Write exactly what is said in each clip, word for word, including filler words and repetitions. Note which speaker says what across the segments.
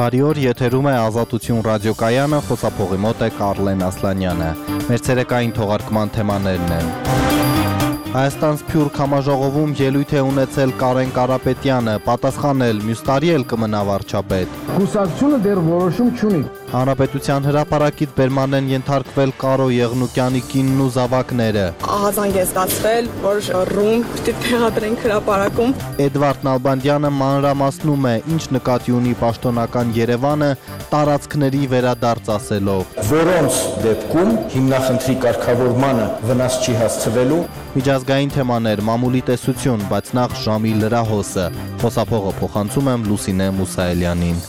Speaker 1: Բարի օր, եթերում է Ազատություն ռադիոկայանը, խոսափողի մոտ է Կարլեն Ասլանյանը։ Մեր ցերեկային թողարկման թեմաներն են. Հայաստան Սփյուռք համաժողովում ելույթ է ունեցել Կարեն Կարապետյանը, պատասխանել մյուս տարի էլ կմնա վարչապետ։
Speaker 2: Կուսակցությունը դեռ որոշում չունի։
Speaker 1: Հանրապետության հրապարակից բերման են ենթարկվել Կարո Եղնուկյանի կինն ու զավակները։
Speaker 3: Ահազանգ է ստացվել, որ ռում պիտի տեղադրենք հրապարակում։
Speaker 1: Էդվարդ Նալբանդյանը մանրամասնում է, ինչ նկատի ունի պաշտոնական Երևանը տարածքների վերադարձ ասելով,
Speaker 2: որոնց դեպքում հիմնախնդրի կարգավորմանը վնաս չի հասցվելու։
Speaker 1: Միջազգային թեմաներ, մամուլի տեսություն, բայց նախ ժամի լրահոսը։ Խոսափողը փոխանցում եմ Լուսինե Մուսայելյանին։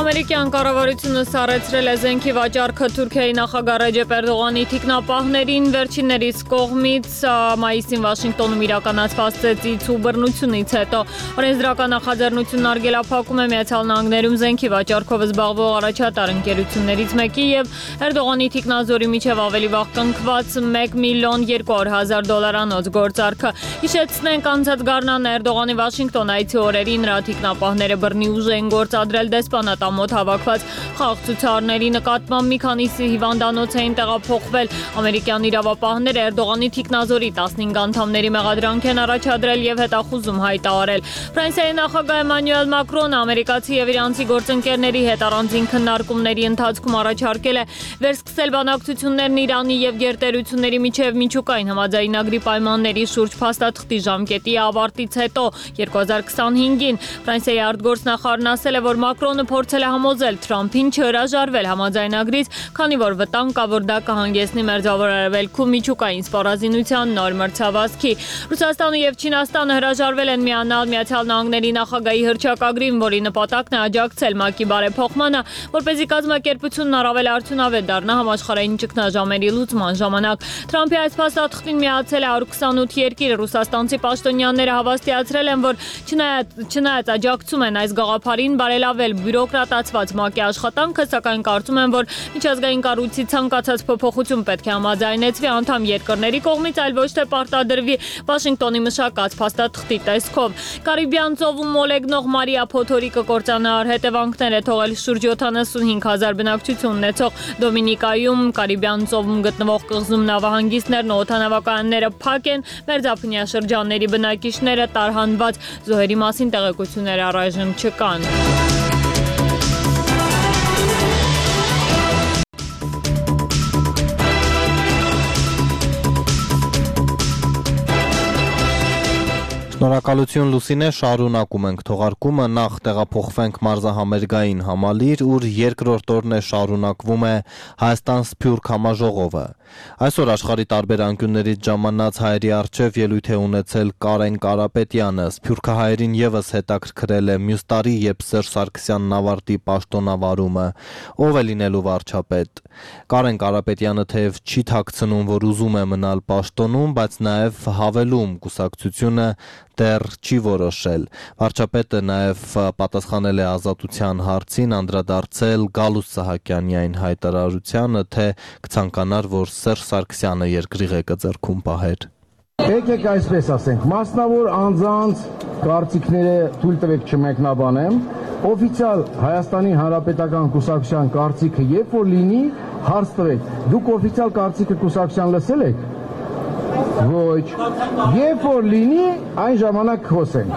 Speaker 4: Ամերիկյան կառավարությունը սառեցրել է զենքի վաճառքը Թուրքիայի նախագահ Ռեջեփ Էրդողանի թիկնապահներին վերջիններիս կողմից մայիսին Վաշինգտոնում իրականացված ծեծից ու բռնությունից հետո օրենսդրական նախաձեռնությունն արգելափակում է Միացյալ Նահանգներում զենքի վաճառքով զբաղվող առաջատար ընկերություններից մեկի եւ Էրդողանի թիկնազորի միջև ավելի վաղ կնքված մեկ միլիոն երկու հարյուր հազար դոլարանոց գործարքը։ Հիշեցնենք, անցած գարնան Էրդողանի Վաշինգտոն այցի օրերին նրա թիկնապահները բռնի ուժ էին գործադրել դեսպանատամոթ հավաքված խաղաղցուցարների նկատմամբ մի քանիսի հիվանդանոց էին տեղափոխվել։ Ամերիկյան իրավապահները Էրդողանի թիկնազորի տասնհինգ անդամների մեղադրանք են առաջադրել եւ հետախուզում հայտարարել։ Ֆրանսիայի նախագահ Էմանուել Մակրոնը ամերիկացի եւ իրանցի գործընկերների հետ առանձին քննարկումների ընթացքում առաջարկել է վերսկսել բանակցություններն Իրանի եւ գերտերությունների միջև միջուկային համաձայնագրի պայմանների շուրջ փաստաթղթի ժամկետի ավարտից հետո երկու հազար քսանհինգին Ֆրանսիայի արտգործնախարարն ասել է, որ Մակրոնը փորձել է համոզել Թրամփին չհրաժարվել համաձայնագրից, քանի որ վտանգ կա, որ դա կհանգեցնի Մերձավոր Արևելքում միջուկային սպառազինության նոր մրցավազքի։ Ռուսաստանը եւ Չինաստանը հրաժարվել են միանալ Միացյալ Նահանգների նախագահի հռչակագրին, որի նպատակն է աջակցել ՄԱԿ-ի բարեփոխմանը, որպեսզի կազմակերպությունն առավել արդյունավետ դառնա համաշխարհային ճգնաժամերի լուծման ժամանակ։ Թրամփի այս փաստաթղթին միացել է հարյուր քսանութ երկիր։ Ռուսաստանցի պաշտոնյաները հավաստիացրել են, որ չնայած չնայած աջակցում են այս գաղափարին բարելավել բյուրոկրատացված ՄԱԿ-ի աշխատանքը, սակայն կարծում են, որ միջազգային կառույցի ցանկացած փոփոխություն պետք է համաձայնեցվի անդամ երկրների կողմից, այլ ոչ թե պարտադրվի Վաշինգտոնի մշակած փաստաթղթի տեսքով։ Կարիբյան ծովում մոլեգնող Մարիա Փոթորիկը կործանար հետևանքներ է թողել շուրջ յոթանասունհինգ հազար բնակչություն ունեցող Դոմինիկայում։ Կարիբյան ծովում գտնվող կղզում նավահանգիստներն ու օդանավակայանները փակ են, մերձափնյա շրջանների բնակիչները տարհանված, զոհերի մասին տեղեկություններ առայժմ չկան։
Speaker 1: Շնորհակալություն Լուսինե, շարունակում ենք թողարկումը, նախ տեղափոխվենք մարզահամերգային համալիր, ուր երկրորդ օրն է շարունակվում է Հայաստան Սփյուռք համաժողովը։ Այսօր աշխարհի տարբեր անկյուններից ժամանած հայերի առջև ելույթ է ունեցել Կարեն Կարապետյանը, սփյուռքահայերին եւս հետաքրքրել է մյուս տարի, երբ Սերժ Սարգսյանն ավարտի պաշտոնավարումը, ով է լինելու վարչապետ։ Կարեն Կարապետյանը թեև չի թաքցնում, որ ուզում է մնալ պաշտոնում, բայց նաեւ հավելում կուսակցությունը դեռ չի որոշել։ Վարչապետը նաև պատասխանել է Ազատության հարցին, անդրադարձել Գալուստ Սահակյանի այն հայտարարությանը, թե կցանկանար, որ Սերժ Սարգսյանը երկրի ղեկը ձեռքում պահեր։
Speaker 2: Եկեք այսպես ասենք, մասնավոր անձանց կարծիքները թույլ տվեք չմեկնաբանեմ, օֆիցիալ Հայաստանի Հանրապետական կուսակցության կարծիքը երբ որ լինի, հարց տվեք, դուք օֆիցիալ կարծիքը կուսակցության լսել եք։ Ոչ, երբ որ լինի, այն ժամանակ խոսենք։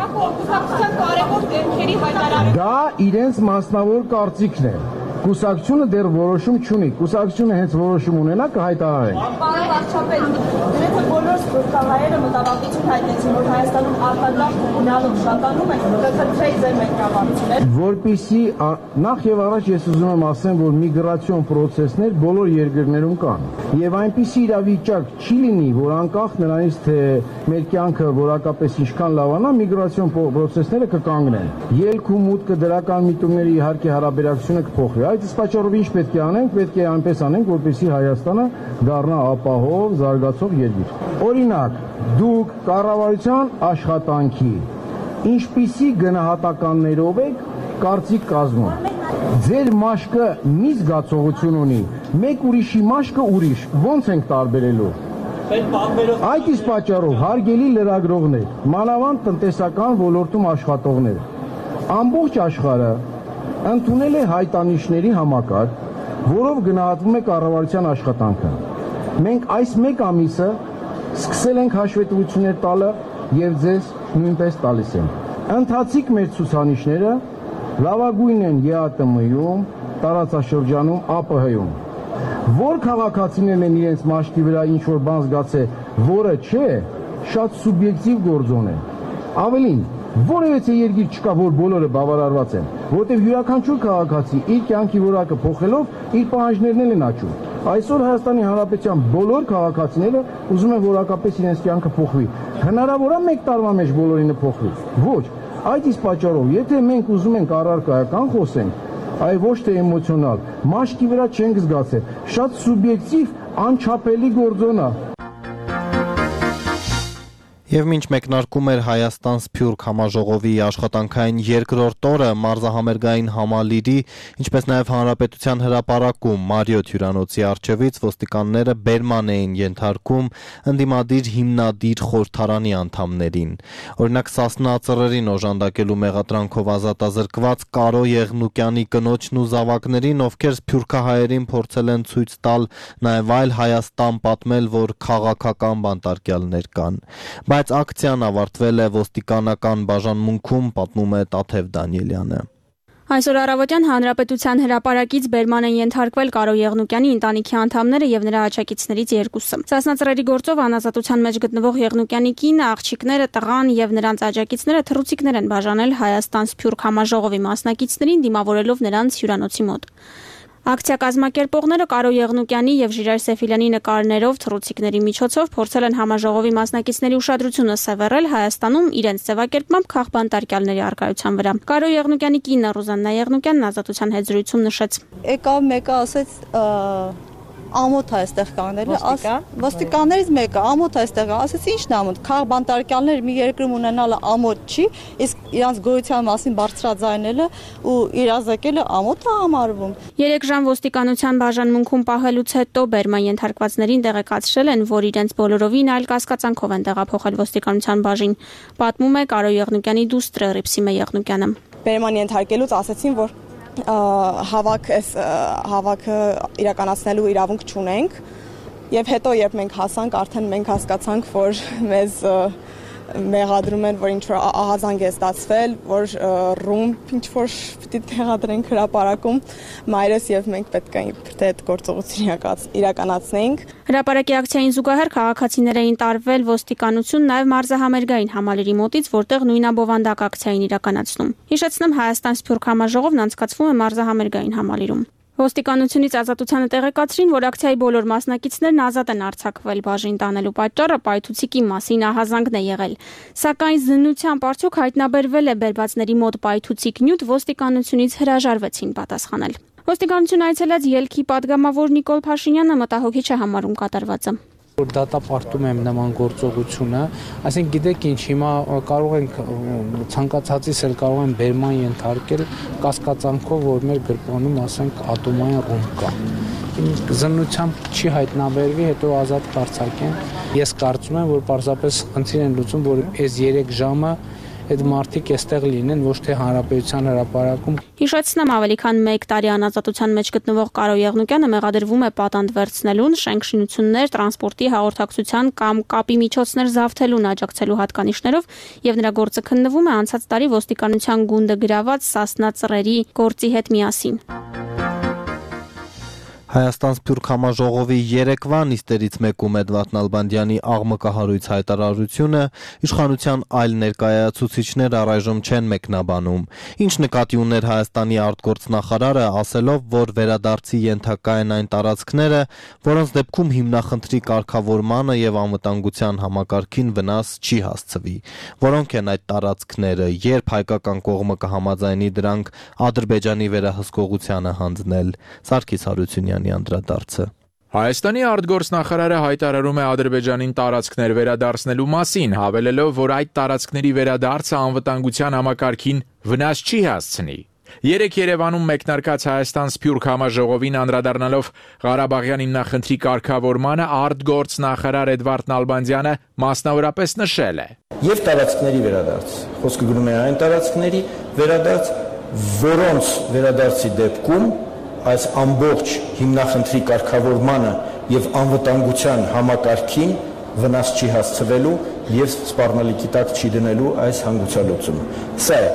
Speaker 2: Դա իրենց մասնավոր կարծիքն է։ Կուսակցությունը դեռ որոշում չունի։ Կուսակցությունը հենց որոշում ունենա կհայտարարենք։
Speaker 5: Պարոն վարչապետ, դրանց բոլոր սփյուռքահայերը մտավախություն հայտնեցին, որ Հայաստանում արտադրող գնալով շատանում են, կքրթեի ձեր մեկնաբանությունները։
Speaker 2: Որպեսզի նախ եւ առաջ ես ուզում եմ ասեմ, որ միգրացիոն պրոցեսներ բոլոր երկրներում կան։ Եվ այնպիսի իրավիճակ չի լինի, որ անկախ նրանից, թե մեր կյանքը որակապես ինչքան լավանա, միգրացիոն պրոցեսները կկանգնեն։ Ելք ու մուտքը դրական միտումների իհարկե հարաբերակցությունը կփոխվի։ Այդ պատճառով ինչ պետք է անենք, պետք է այնպես անենք, որպեսզի Հայաստանը դառնա ապահով, զարգացող երկիր։ Օրինակ, դուք կառավարության աշխատանքի ինչպիսի գնահատականներով եք կարծիք կազմում։ Ձեր մաշկը մի զգացողություն ունի, մեկ ուրիշի մաշկը ուրիշ, ո՞նց ենք տարբերելու։ Այդ իսկ պատճառով հարգելի լրագրողներ, մանավանդ տնտեսական ոլորտում աշխատողներ, ամբողջ աշխարհը ընդունել է հայտանիշների համակարգ, որով գնահատվում է կառավարության աշխատանքը։ Մենք այս մեկ ամիսը սկսել ենք հաշվետվություններ տալը եւ ձեզ նույնպես տալիս ենք։ Ընթացիկ մեր ցուցանիշները լավագույնն են ԵԱՏՄ-ում, տարածաշրջանում, ԱՊՀ-ում։ Որ քաղաքացիներն են իրենց մաշկի վրա ինչ որ բան զգացել, որը չէ, շատ սուբյեկտիվ գործոն է։ Ավելին, որևէ երկիր չկա, որ բոլորը բավարարված են, որտեղ յուրաքանչյուր քաղաքացի իր կյանքի որակը փոխելով իր պահանջներն են աճում։ Այսօր Հայաստանի Հանրապետության բոլոր քաղաքացիները ուզում են որակապես իրենց կյանքը փոխվի։ Հնարավոր է մեկ տարվա մեջ բոլորինը փոխվի։ Ոչ, այդ իսկ պատճառով, եթե մենք ուզում ենք առարկայական խոսենք, այ ոչ թե էմոցիոնալ, մաշկի վրա չենք զգացել, շատ սուբյեկտիվ, անչափելի գործոն է։
Speaker 1: Եվ մինչ մեկնարկում էր Հայաստան-Սփյուռք համաժողովի աշխատանքային երկրորդ օրը մարզահամերգային համալիրի, ինչպես նաև Հանրապետության հրապարակում Մարիոթ հյուրանոցի առջևից ոստիկանները բերման էին ենթարկում ընդդիմադիր հիմնադիր խորհրդարանի անդամներին։ Օրինակ Սասնա ծռերին օժանդակելու մեղադրանքով ազատազրկված Կարո Եղնուկյանի կնոջն ու զավակներին, ովքեր սփյուռքահայերին փորձել են ցույց տալ նաև այլ Հայաստան պատմել, որ քաղաքական բանտարկյալներ կան։ Բայց ակցիան ավարտվել է ոստիկանական բաժանմունքում, պատմում է Տաթև Դանիելյանը։
Speaker 6: Այսօր առավոտյան Հանրապետության հրապարակից բերման են ենթարկվել Կարո Եղնուկյանի ընտանիքի անդամները եւ նրա աջակիցներից երկուսը։ Սասնա ծռերի գործով անազատության մեջ գտնվող Եղնուկյանի կինը, աղջիկները, տղան եւ նրանց աջակիցները թռուցիկներ են բաժանել Հայաստան-Սփյուռք համաժողովի մասնակիցներին, դիմավորելով նրանց հյուրանոցի մոտ։ Ակցիա կազմակերպողները Կարո Եղնուկյանի եւ Ժիրայր Սեֆիլյանի նկարներով թռուցիկների միջոցով փորձել են համաժողովի մասնակիցների ուշադրությունը սևեռել Հայաստանում իրենց ձևակերպմամբ քաղբանտարկյալների առկայության վրա։ Կարո Եղնուկյանի կինը Ռուզաննա Եղնուկյանն ազատության հետ զրույցում նշեց.
Speaker 5: Եկավ մեկը ասեց ամոթ է այստեղ կանելը, ոստիկաններից մեկը ամոթ է այստեղ, ասեց ի՞նչն է ամոթ, քաղբանտարկյալներ մի երկրում ունենալը ամոթ չի, իսկ իրանց գոյության մասին բարձրաձայնելը ու իրազեկելը ամոթ է համարվում։
Speaker 6: Երեք ժամ ոստիկանության բաժանմունքում պահելուց հետո բերման ենթարկվածներին տեղեկացրել են, որ իրենց բոլորովին այլ կասկածանքով են տեղափոխել ոստիկանության բաժին, պատմում է Կարո Եղնուկյանի դուստրը Ռիփսիմե Եղնուկյանը։
Speaker 5: Բերման ենթարկելուց ասեցին, որ հավաք հավաքը իրականացնելու իրավունք չունենք եւ հետո երբ մենք հասանք արդեն մենք հասկացանք որ մեզ մեղադրում են որ ինչ որ ահազանգ է ստացվել որ ռումբ ինչ որ պիտի տեղադրենք հրապարակում մայրս եւ մենք պետք է թե այդ գործողություն իրականացնենք։
Speaker 6: Հրապարակի ակցիային զուգահեռ քաղաքացիներ էին տարվել ոստիկանություն նաև մարզահամերգային համալիրի մոտից, որտեղ նույնաբովանդակ ակցիային իրականացնում։ Հիշեցնեմ, Հայաստան-Սփյուռք համաժողովն անցկացվում է մարզահամերգային համալիրում։ Ոստիկանությունից ազատությանը տեղեկացրին, որ ակցիայի բոլոր մասնակիցներն ազատ են արձակվել, բաժին տանելու պատճառը պայթուցիկի մասին ահազանգն է եղել։ Սակայն զննությամբ արդյոք հայտնաբերվել է բերվածների մոտ պայթուցիկ նյութ, ոստիկանությունից հրաժարվեցին պատասխանել։ Ոստիկանություն այցելած ելքի падգամավոր Նիկոլ Փաշինյանը մտահոգիչ է համարում կատարվածը։
Speaker 7: Որ դատապարտում եմ նման գործողությունը, այսինքն գիտեք ինչ, հիմա կարող ենք ցանկացածից էլ կարող են բերման ենթարկել կասկածանքով, որ մեր գրպանում, ասենք, ատոմային ռումբ կա։ Զննությամբ չի հայտնաբերվի, հետո ազատ կարձակեն։ Ես կարծում եմ, որ պարզապես խնդիր են լուծում, որ այս երեք ժամը այդ մարդիկ այստեղ լինեն, ոչ թե Հանրապետության հրապարակում։
Speaker 6: Հիշեցնեմ, ավելի քան մեկ տարի անազատության մեջ գտնվող Կարո Եղնուկյանը մեղադրվում է պատանդ վերցնելուն, շենքշինություններ, տրանսպորտի, հաղորդակցության կամ կապի միջոցներ զավթելուն աջակցելու հատկանիշներով եւ նրա գործը քննվում է անցած տարի ոստիկանության գունդը գրաված Սասնա ծռերի գործի հետ միասին։
Speaker 1: Հայաստան-Սփյուռք համաժողովի երեկվա նիստերից մեկում Էդվարդ Նալբանդյանի աղմկահարույց հայտարարությունը իշխանության այլ ներկայացուցիչներ առայժմ չեն մեկնաբանում, ինչ նկատի ուներ Հայաստանի արտգործնախարարը, ասելով, որ վերադարձի ենթակա են այն տարածքները, որոնց դեպքում հիմնախնդրի կարգավորմանը եւ անվտանգության համակարգին վնաս չի հասցվի։ Որոնք են այդ տարածքները, երբ հայկական կողմը կհամաձայնի դրանք Ադրբեջանի վերահսկողությանը հանձնել։ Սարգիս Հարությունյան անդրադարձը։
Speaker 8: Հայաստանի արտգործնախարարը հայտարարում է Ադրբեջանին տարածքներ վերադարձնելու մասին, հավելելով, որ այդ տարածքների վերադարձը անվտանգության համակարգին վնաս չի հասցնի։ Երեկ Երևանում մեկնարկած Հայաստան-Սփյուռք համաժողովին անդրադառնալով Ղարաբաղյան հիմնախնդրի կարգավորմանը արտգործնախարար Էդվարդ Նալբանդյանը մասնավորապես նշել է.
Speaker 2: Եվ տարածքների վերադարձ, խոսքը գնում է այն տարածքների վերադարձ, որոնց վերադարձի դեպքում այս ամբողջ հիմնախնդրի կարգավորմանը եւ անվտանգության համակարգին վնաս չի հասցվելու եւ սպառնալիքի տակ չի դնելու այս հանգուցալուծումը։ Սա է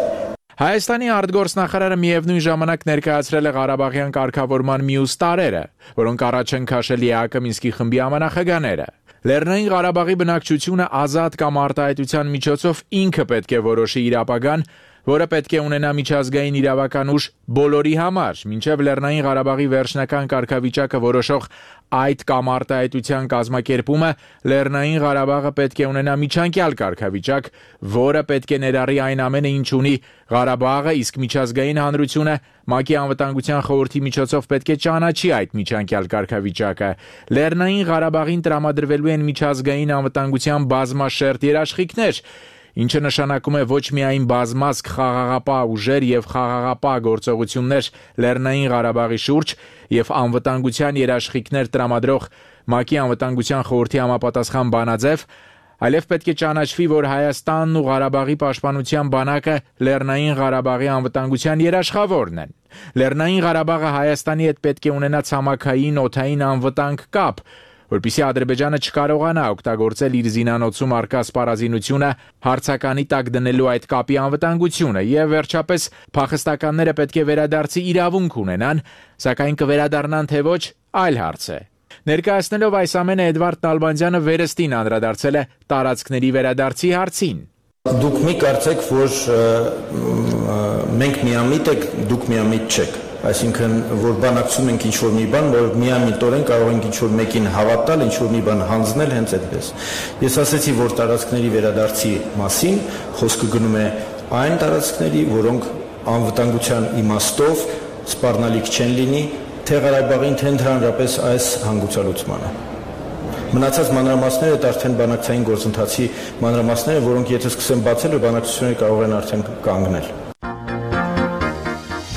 Speaker 8: Հայաստանի արտգործնախարարը միևնույն ժամանակ ներկայացրել է Ղարաբաղյան կարգավորման մյուս տարրերը, որոնք առաջ են քաշել ԵԱԿ Մինսկի խմբի համանախագահները։ Լեռնային Ղարաբաղի բնակչությունը ազատ կամ արտահայտության միջոցով ինքը պետք է որոշի իր ապագան, որը պետք է ունենա միջազգային իրավական ուժ բոլորի համար, մինչև Լեռնային Ղարաբաղի վերջնական կարգավիճակը որոշող այդ կամ արտահայտության կազմակերպումը Լեռնային Ղարաբաղը պետք է ունենա միջանկյալ կարգավիճակ, որը պետք է ներառի այն ամենը, ինչ ունի Ղարաբաղը, իսկ միջազգային հանրությունը ՄԱԿ-ի անվտանգության խորհրդի միջոցով պետք է ճանաչի այդ միջանկյալ կարգավիճակը։ Լեռնային Ղարաբաղին տրամադրվելու են միջազգային անվտանգության բազմաշերտ երաշխիքներ, ինչը նշանակում է ոչ միայն բազմազգ խաղաղապահ ուժեր եւ խաղաղապահ գործողություններ Լեռնային Ղարաբաղի շուրջ եւ անվտանգության երաշխիքներ տրամադրող ՄԱԿ-ի անվտանգության խորհրդի համապատասխան բանաձև, այլև պետք է ճանաչվի, որ Հայաստանն ու Ղարաբաղի պաշտպանության բանակը Լեռնային Ղարաբաղի անվտանգության երաշխավորն են։ Լեռնային Ղարաբաղը Հայաստանի հետ պետք է ունենա ցամաքային օդային անվտանգ կապ, որպեսզի Ադրբեջանը չկարողանա օգտագործել իր զինանոցում առկա սպառազինությունը հարցականի տակ դնելու այդ կապի անվտանգությունը, եւ վերջապես փախստականները պետք է վերադարձի իրավունք ունենան, սակայն կվերադառնան թե ոչ, այլ հարց է։ Ներկայացնելով այս ամենը Էդվարդ Նալբանդյանը վերստին անդրադարձել է տարածքների վերադարձի հարցին։
Speaker 2: Դուք մի կարծեք, որ մենք միամիտ ենք, դուք միամիտ չեք։ Այսինքն, որ բանակցում ենք ինչ-որ մի բան, որ միամիտորեն կարող ենք ինչ-որ մեկին հավատալ, ինչ-որ մի բան հանձնել, հենց այդպես։ Ես ասացի, որ տարածքների վերադարձի մասին խոսքը գնում է այն տարածքների, որոնք անվտանգության իմաստով սպառնալիք չեն լինի թե Ղարաբաղին, թե ընդհանրապես այս հանգուցալուծմանը։ Մնացած մանրամասները դա արդեն բանակցային գործընթացի մանրամասները, որոնք եթե սկսեն բացել, բանակցությունները կարող են արդեն կանգնել։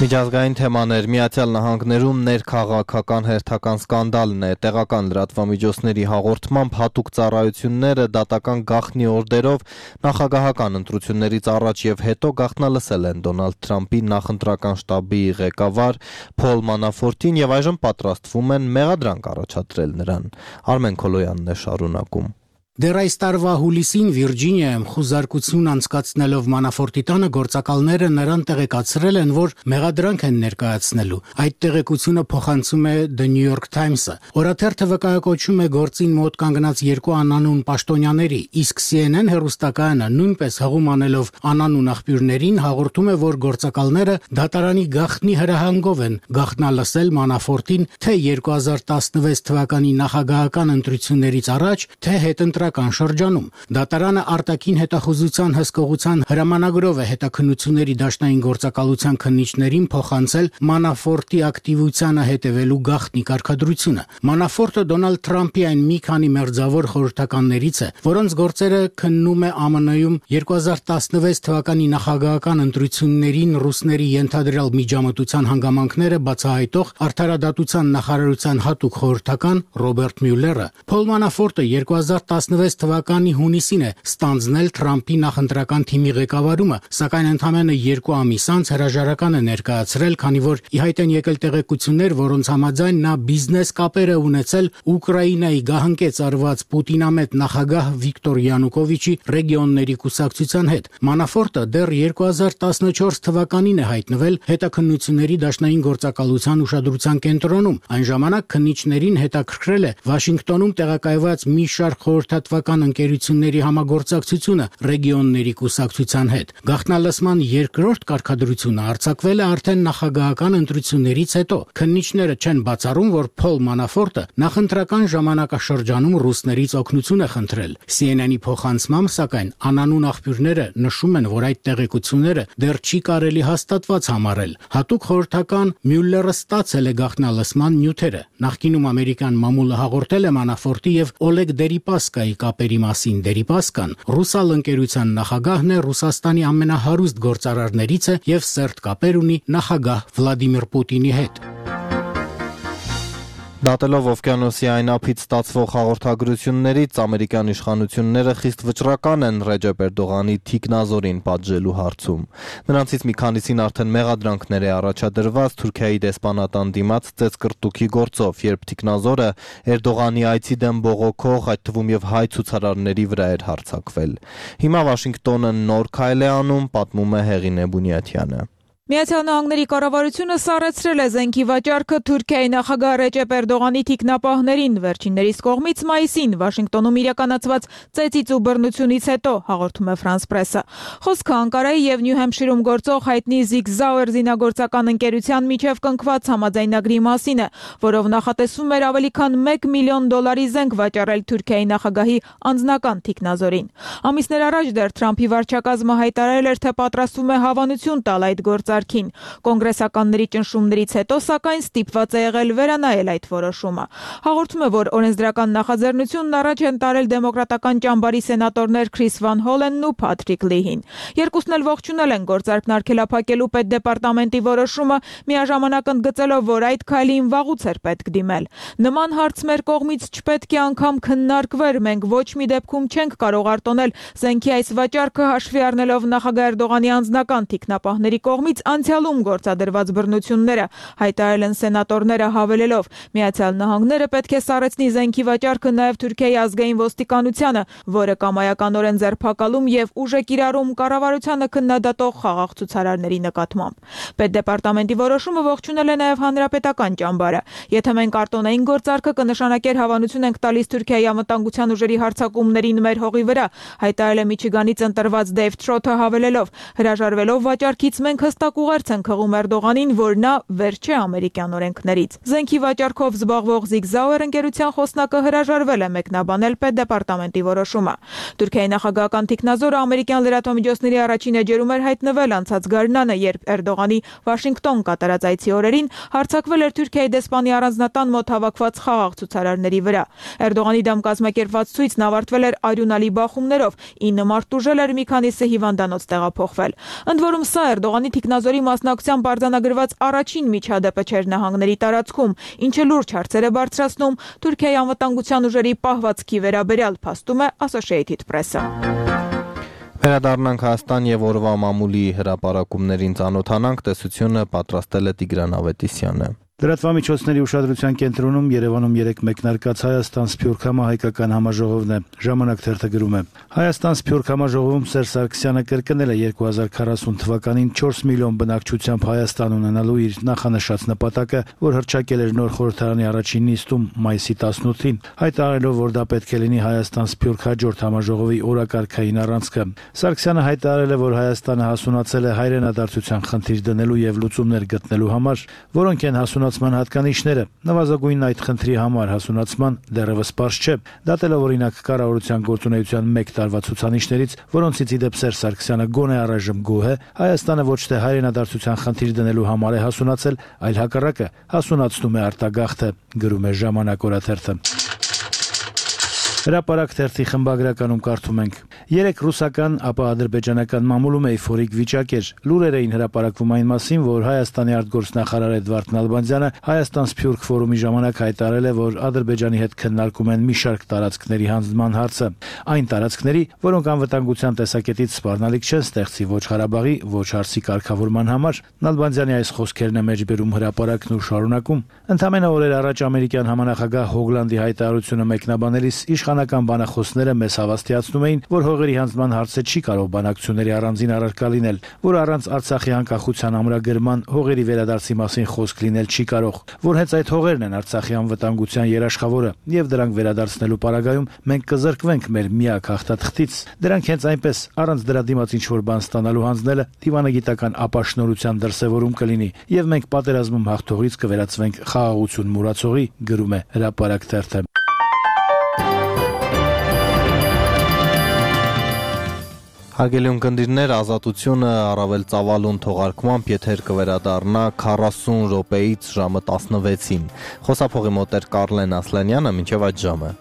Speaker 1: Միջազգային թեմաներ Միացյալ Նահանգներում ներքաղաքական հերթական սկանդալն է, տեղական լրատվամիջոցների հաղորդմամբ հատուկ ծառայությունները դատական գաղտնի օրդերով նախագահական ընտրություններից առաջ եւ հետո գաղտնալսել են Դոնալդ Թրամփի նախընտրական շտաբի ղեկավար Փոլ Մանաֆորտին եւ այժմ պատրաստվում են մեղադրանք առաջադրել նրան։ Արմեն Քոլոյանն է շարունակում։
Speaker 9: Դեռ այս տարվա հուլիսին Վիրջինիայում խուզարկություն անցկացնելով Մանաֆորտի տանը գործակալները նրան տեղեկացրել են, որ մեղադրանք են ներկայացնելու։ Այդ տեղեկությունը փոխանցում է The New York Times-ը։ Օրաթերթը վկայակոչում է գործին մոտ կանգնած երկու անանուն պաշտոնյաների, իսկ C N N հեռուստակայանը նույնպես հղում անելով անանուն աղբյուրներին հաղորդում է, որ գործակալները դատարանի գաղտնի հրահանգով են գաղտնալսել Մանաֆորտին թե երկու հազար տասնվեց թվականի նախագահական ընտրություններից առաջ, թե հետընտրական շրջանում։ Դատարանը արտաքին հետախուզության հսկողության հրամանագրով է հետաքննությունների դաշնային գործակալության քննիչներին փոխանցել Մանաֆորտի ակտիվությանը հետևելու գաղտնի կարգադրությունը։ Մանաֆորտը Դոնալդ Թրամփի այն մի քանի մերձավոր խորհրդականներից է, որոնց գործերը քննում է Ամն-ում երկու հազար տասնվեց թվականի նախագահական ընտրություններին ռուսների ենթադրյալ միջամտության հանգամանքները բացահայտող Արդարադատության նախարարության հատուկ խորհրդական Ռոբերտ Մյուլլերը։ Փոլ Մանաֆորտը երկու հազար տասնվեց թվականի հունիսին է ստանձնել Թրամփի նախընտրական թիմի ղեկավարումը, սակայն ընդամենը երկու ամիս անց հրաժարական է ներկայացրել, քանի որ ի հայտ են եկել տեղեկություններ, որոնց համաձայն նա բիզնես կապեր է ունեցել Ուկրաինայի գահանկեց արված Պուտինամետ նախագահ Վիկտոր Յանուկովիչի ռեգիոնների կուսակցության հետ։ Մանաֆորտը դեռ երկու հազար տասնչորս թվականին է հայտնվել հետաքննությունների դաշնային գործակալության ուշադրության կենտրոնում։ Այն ժամանակ քննիչներին հետաքրքրել է Վաշինգտոնում տեղակայված մի շարք խորհրդատվական ընկերությունների համագործակցությունը ռեգիոնների կուսակցության հետ։ Գաղտնալսման երկրորդ կարգադրությունը արձակվել է արդեն նախագահական ընտրություններից հետո։ Քննիչները չեն բացառում, որ Փոլ Մանաֆորտը նախընտրական ժամանակաշրջանում ռուսներից օգնություն է խնդրել։ C N N-ի փոխանցմամբ, սակայն, անանուն աղբյուրները նշում են, որ այդ տեղեկությունները դեռ չի կարելի հաստատված համարել։ Հատուկ խորհրդական Մյուլլերը ստացել է գաղտնալսման նյութերը։ Նախկինում ամերիկյան մամուլը հաղորդել է Մանաֆորտի եւ Օլեգ Դերիպասկայի Ուկրաինայի կապերի մասին դերիպասկան, ռուսալ ընկերության նախագահն է Ռուսաստանի ամենահարուստ գործարարներից է եւ սերտ կապեր ունի նախագահ Վլադիմիր Պուտինի հետ։
Speaker 1: Դատելով օվկիանոսի այն ափից ստացվող հաղորդագրություններից, ամերիկյան իշխանությունները խիստ վճռական են Ռեջեփ Էրդողանի թիկնազորին պատժելու հարցում։ Նրանցից մի քանիսին արդեն մեղադրանքներ է առաջադրված Թուրքիայի դեսպանատան դիմաց ծեծկռտուքի գործով, երբ թիկնազորը Էրդողանի այցի դեմ բողոքող, այդ թվում եւ հայ ցուցարարների վրա էր հարձակվել։ Հիմա Վաշինգտոնը նոր քայլ է անում, պատմում է Հեղինե Բունյաթյանը։
Speaker 10: Միացյալ Նահանգների կառավարությունը սառեցրել է զենքի վաճառքը Թուրքիայի նախագահ Ռեջեփ Էրդողանի թիկնապահներին վերջիններիս կողմից մայիսին Վաշինգտոնում իրականացված ծեծից ու բռնությունից հետո, հաղորդում է Ֆրանս Պրեսը։ Խոսքը Անկարայի եւ Նյու Հեմփշիրում գործող հայտնի Zig Zauer զինագործական ընկերության միջև կնքված համաձայնագրի մասին է, որով նախատեսվում էր ավելի քան մեկ միլիոն դոլարի զենք վաճառել Թուրքիայի նախագահի անձնական թիկնազորին։ Ամիսներ առաջ դեռ Թրամփի վարչակազմը հայտարարել էր, թե պատրաստվում է հավանություն տալ այդ գործ Կոնգրեսականների ճնշումներից հետո, սակայն ստիպված է եղել վերանայել այդ որոշումը։ Հաղորդում է, որ օրենսդրական նախաձեռնությունն առաջ են տարել դեմոկրատական ճամբարի սենատորներ Քրիս Վան Հոլենն ու Փատրիկ Լիհին։ Երկուսն էլ ողջունել են գործարքն արգելափակելու պետդեպարտամենտի որոշումը, միաժամանակ ընդգծելով, որ այդ քայլին վաղուց էր պետք դիմել։ Նման հարց մեր կողմից չպետք է անգամ քննարկվեր, մենք ոչ մի դեպքում չենք կարող արտոնել զենքի այս վաճառքը հաշվի առնելով նախագահ Էրդողանի անձնական թիկնապահների կողմից անցյալում գործադրված բռնությունները, հայտարարել են սենատորները հավելելով. Միացյալ Նահանգները պետք է սառեցնի զենքի վաճառքը նաև Թուրքիայի ազգային ոստիկանությանը, որը կամայականորեն ձերբակալում եւ ուժ է կիրառում կառավարությանը քննադատող խաղաղ ցուցարարների նկատմամբ։ Պետդեպարտամենտի որոշումը ողջունել է նաև հանրապետական ճամբարը։ Եթե մենք արտոնային գործարքը կնշանակեր հավանություն ենք տալիս Թուրքիայի անվտանգության ուժերի հարձակումներին մեր հողի վրա, հայտարարել է Միչիգանից ընտրված Դեյվ Թրոթը հավելելով. հրաժարվելով վաճառքից մենք հստակ ուղերձ են խղում Էրդողանին, որ նա վերջ է ամերիկյան օրենքներից։ Զենքի վաճառքով զբաղվող Zig Zauer ընկերության խոսնակը հրաժարվել է մեկնաբանել պետդեպարտամենտի որոշումը։ Թուրքիայի նախագահական թիկնազորը ամերիկյան լրատվամիջոցների առաջին էջերում էր հայտնվել անցած գարնանը, երբ Էրդողանի Վաշինգտոն կատարած այցի օրերին հարձակվել էր Թուրքիայի դեսպանի առանձնատան մոտ հավաքված խաղաղ ցուցարարների վրա։ Էրդողանի դեմ կազմակերպված ցույցն ավարտվել էր արյունալի բախումներով, ինը մարդ ուժել էր, մի քանիսը հիվանդանոց տեղափոխվել։ Ընդ որում սա Էրդողանի թիկնազորի մասնակցությամբ արձանագրված առաջին միջադեպը չէր նահանգների տարածքում, ինչը լուրջ հարցեր է բարձրացնում Թուրքիայի անվտանգության ուժերի պահվածքի վերաբերյալ, փաստում է Associated Press-ը։
Speaker 1: Վերադառնանք Հայաստան եւ օրվա մամուլի հրապարակումներին ծանոթանանք, տեսությունը պատրաստել է Տիգրան Ավետիսյանը։
Speaker 11: Լրատվամիջոցների ուշադրության կենտրոնում Երևանում երեկ մեկնարկած Հայաստան-Սփյուռք համահայկական համաժողովն է։ Ժամանակ թերթը գրում է. Հայաստան-Սփյուռք համաժողովում Սերժ Սարգսյանը կրկնել է երկու հազար քառասուն թվականին չորս միլիոն բնակչությամբ Հայաստան ունենալու իր նախանշած նպատակը, որ հռչակել էր նոր խորհրդարանի առաջին նիստում մայիսի տասնութին, հայտարարելով, որ դա պետք է լինի Հայաստան-Սփյուռք հաջորդ համաժողովի օրակարգային առանցքը։ Սարգսյանը հայտարարել է, որ Հայաստանը հասունացել է հայրենադարձության խնդիր դնելու եւ լուծումներ գտնելու համար, որոնք են հասունացման հատկանիշները։ Նվազագույնն այդ խնդրի համար հասունացման դեռևս պարզ չէ, դատելով օրինակ կառավարության գործունեության մեկ տարվա ցուցանիշներից, որոնցից ի դեպ Սերժ Սարգսյանը գոնե առայժմ գոհ է, Հայաստանը ոչ թե հայրենադարձության խնդիր դնելու համար է հասունացել, այլ հակառակը հասունացնում է արտագաղթը, գրում է Ժամանակ օրաթերթը։ Հրապարակ թերթի խմբագրականում կարդում ենք. Երեք ռուսական, ապա ադրբեջանական մամուլում էյֆորիկ վիճակ էր։ Լուրեր էին հրապարակվում այն մասին, որ Հայաստանի արտգործնախարար Էդվարդ Նալբանդյանը Հայաստան-Սփյուռք ֆորումի ժամանակ հայտարարել է, որ Ադրբեջանի հետ քննարկում են մի շարք տարածքների հանձնման հարցը։ Այն տարածքների, որոնք անվտանգության տեսակետից սպառնալիք չեն ստեղծի ոչ Ղարաբաղի, ոչ Արցի կարգավորման համար։ Նալբանդյանի այս խոսքերն է մեջբերում հրապարակն ու շարունակում. Ընդամենը օրեր առաջ ամերիկյան համանախագահ Հոգլանդի հայտարարությունը մեկնաբանելիս իշխանական բանախոսները մեզ հավաստիացնում էին, որ հողերի հանձնման հարցը չի կարող բանակցությունների առանձին առարկա լինել, որ առանց Արցախի անկախության ամրագրման հողերի վերադարձի մասին խոսք լինել չի կարող, որ հենց այդ հողերն են Արցախի անվտանգության երաշխավորը, եւ դրանք վերադարձնելու պարագայում մենք կզրկվենք մեր միակ հաղթաթղթից։ Դրանք հենց այնպես առանց դրա դիմաց ինչ-որ բան ստանալու հանձնելը դիվանագիտական ապաշնորհության դրսևորում կլինի, եւ մենք պատերազմում հաղթողից կվերածվենք խաղաղություն մուրացողի, գրում է հրապարակ թերթը։
Speaker 1: Հարգելի ունկնդիրներ, Ազատությունը առավել ծավալուն թողարկմամբ եթեր կվերադառնա քառասուն րոպեից ժամը տասնվեցին։ Խոսափողի մոտ էր Կարլեն Ասլանյանը, մինչև այդ ժամը։